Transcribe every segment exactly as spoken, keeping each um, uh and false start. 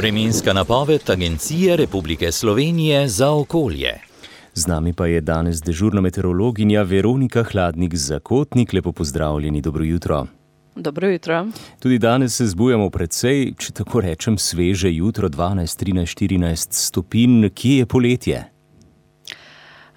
Vremenska napoved Agencije Republike Slovenije za okolje. Z nami pa je danes dežurna meteorologinja Veronika Hladnik-Zakotnik. Lepo pozdravljeni, dobro jutro. Dobro jutro. Tudi danes se zbujamo precej, če tako rečem, sveže jutro, dvanajst, trinajst, štirinajst stopinj. Kje je poletje?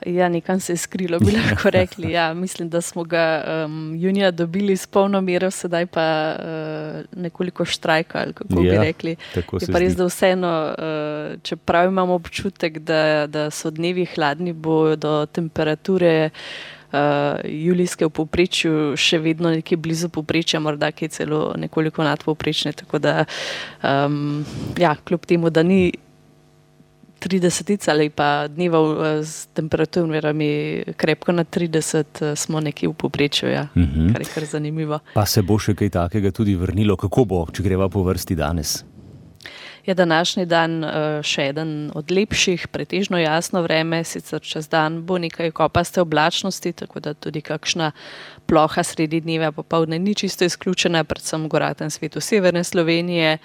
Ja, nekam se je skrilo, bi lahko rekli. Ja, mislim, da smo ga um, junija dobili s polno mero, sedaj pa uh, nekoliko štrajkali, kako ja, bi rekli. Je pa res, da vseeno, uh, čeprav imamo občutek, da, da so dnevi hladni, bo do temperature uh, julijske v povprečju še vedno nekje blizu povprečja, morda kaj celo nekoliko nadpovprečne, tako da um, ja, kljub temu, da ni tridesetica ali pa dneva s temperaturami krepko na trideset, smo nekje v povprečju, ja, uh-huh. kar je kar zanimivo. Pa se bo še kaj takega tudi vrnilo? Kako bo, če greva po vrsti danes? Je današnji dan še eden od lepših, pretežno jasno vreme, sicer čez dan bo nekaj kopaste oblačnosti, tako da tudi kakšna ploha sredi dneva popoldne ni čisto izključena, predvsem v goratem svetu severne Slovenije.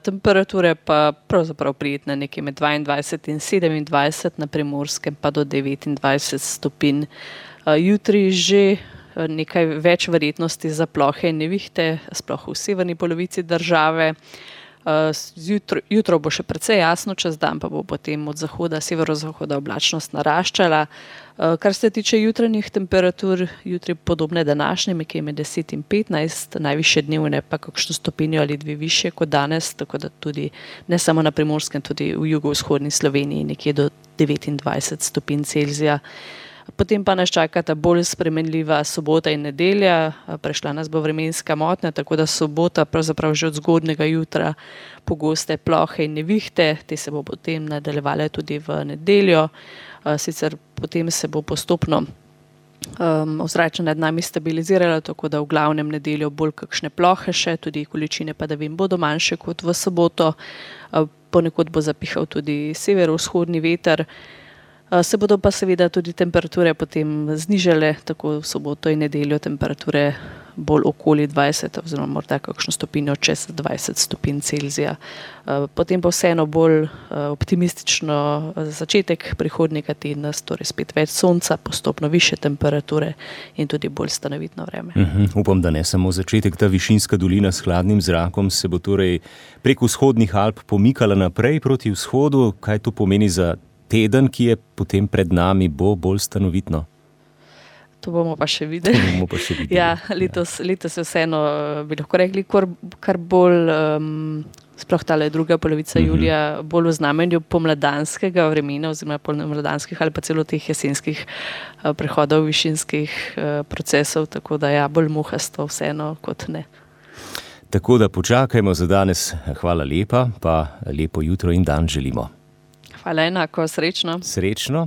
Temperature pa pravzaprav prijetne nekje med dvaindvajset in sedemindvajset, na Primorskem pa do devetindvajset stopinj. Jutri že nekaj več verjetnosti za plohe in nevihte, sploh v severni polovici države. Jutro, jutro bo še precej jasno, čez dan pa bo potem od zahoda, severozahoda oblačnost naraščala. Kar se tiče jutranjih temperatur, jutri podobne današnje, nekje med deset in petnajst, najvišje dnevne pa kakšno stopinjo ali dve višje kot danes, tako da tudi ne samo na Primorskem, tudi v jugovzhodni Sloveniji nekje do devetindvajset stopinj Celzija. Potem pa nas čakata bolj spremenljiva sobota in nedelja, prešla nas bo vremenska motnja, tako da sobota pravzaprav že od zgodnega jutra pogoste plohe in nevihte, te se bo potem nadaljevale tudi v nedeljo, sicer potem se bo postopno um, ozračje nad nami stabiliziralo, tako da v glavnem nedeljo bolj kakšne plohe še, tudi količine padavin bodo manjše kot v soboto, ponekod bo zapihal tudi severovzhodni veter. Se bodo pa seveda tudi temperature potem znižale, tako v soboto in nedeljo temperature bolj okoli dvajset oziroma morda kakšno stopinjo čez dvajset stopinj Celzija. Potem pa vseeno bolj optimistično začetek prihodnjega tedna, torej spet več sonca, postopno više temperature in tudi bolj stanovitno vreme. Uh-huh. Upam, da ne samo začetek, ta višinska dolina s hladnim zrakom se bo torej prek vzhodnih Alp pomikala naprej proti vzhodu. Kaj to pomeni za teden, ki je potem pred nami, bo bolj stanovitno? To bomo pa še videli. Bomo pa še videli. Ja, letos, letos je vseeno, bi lahko rekli, kar, kar bolj, um, sploh tale druga polovica uh-huh. julija, bolj v znamenju pomladanskega vremena oziroma pomladanskih ali pa celo teh jesenskih uh, prehodov, višinskih uh, procesov, tako da ja, bolj muhasto vseeno kot ne. Tako da počakajmo za danes. Hvala lepa, pa lepo jutro in dan želimo. Hvala enako, srečno. Srečno.